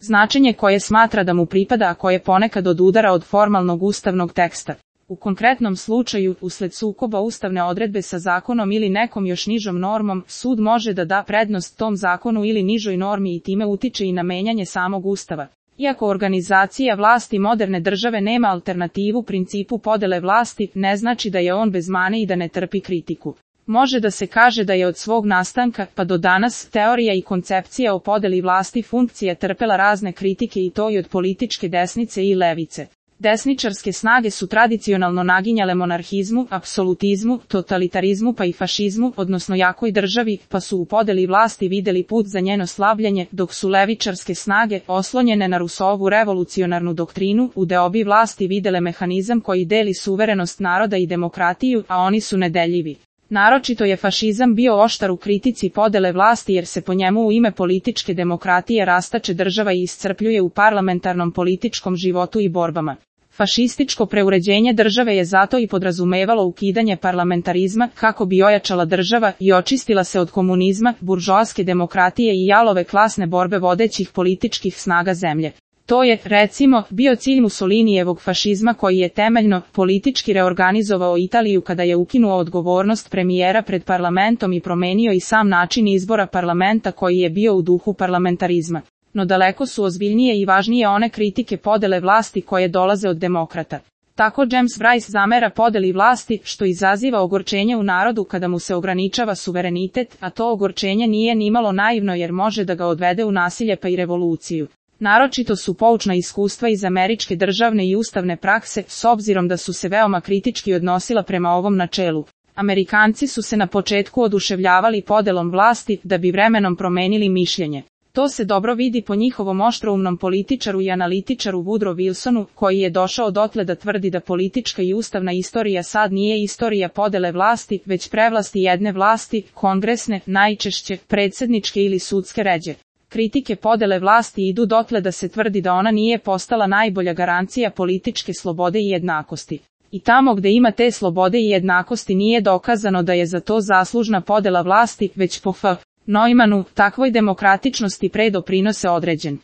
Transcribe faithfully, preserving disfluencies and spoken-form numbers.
značenje koje smatra da mu pripada, a koje ponekad odudara od formalnog ustavnog teksta. U konkretnom slučaju, usled sukoba ustavne odredbe sa zakonom ili nekom još nižom normom, sud može da da prednost tom zakonu ili nižoj normi i time utiče i na menjanje samog ustava. Iako organizacija vlasti moderne države nema alternativu principu podele vlasti, ne znači da je on bez mane i da ne trpi kritiku. Može da se kaže da je od svog nastanka pa do danas teorija i koncepcija o podeli vlasti funkcija trpela razne kritike i to i od političke desnice i levice. Desničarske snage su tradicionalno naginjale monarhizmu, apsolutizmu, totalitarizmu pa i fašizmu, odnosno jakoj državi, pa su u podeli vlasti videli put za njeno slavljenje, dok su levičarske snage, oslonjene na Rousseauovu revolucionarnu doktrinu, u deobi vlasti videle mehanizam koji deli suverenost naroda i demokratiju, a oni su nedeljivi. Naročito je fašizam bio oštar u kritici podele vlasti jer se po njemu u ime političke demokratije rastače država i iscrpljuje u parlamentarnom političkom životu i borbama. Fašističko preuređenje države je zato i podrazumevalo ukidanje parlamentarizma kako bi ojačala država i očistila se od komunizma, buržoaske demokratije i jalove klasne borbe vodećih političkih snaga zemlje. To je, recimo, bio cilj Mussolinijevog fašizma koji je temeljno, politički reorganizovao Italiju kada je ukinuo odgovornost premijera pred parlamentom i promenio i sam način izbora parlamenta koji je bio u duhu parlamentarizma. No daleko su ozbiljnije i važnije one kritike podele vlasti koje dolaze od demokrata. Tako James Bryce zamera podeli vlasti, što izaziva ogorčenje u narodu kada mu se ograničava suverenitet, a to ogorčenje nije nimalo naivno jer može da ga odvede u nasilje pa i revoluciju. Naročito su poučna iskustva iz američke državne i ustavne prakse, s obzirom da su se veoma kritički odnosila prema ovom načelu. Amerikanci su se na početku oduševljavali podelom vlasti, da bi vremenom promenili mišljenje. To se dobro vidi po njihovom oštroumnom političaru i analitičaru Woodrow Wilsonu, koji je došao dotle da tvrdi da politička i ustavna istorija sad nije istorija podele vlasti, već prevlasti jedne vlasti, kongresne, najčešće, predsjedničke ili sudske ređe. Kritike podele vlasti idu dotle da se tvrdi da ona nije postala najbolja garancija političke slobode i jednakosti. I tamo gde ima te slobode i jednakosti nije dokazano da je za to zaslužna podela vlasti, već po F. Neumannu, takvoj demokratičnosti pre doprinose određen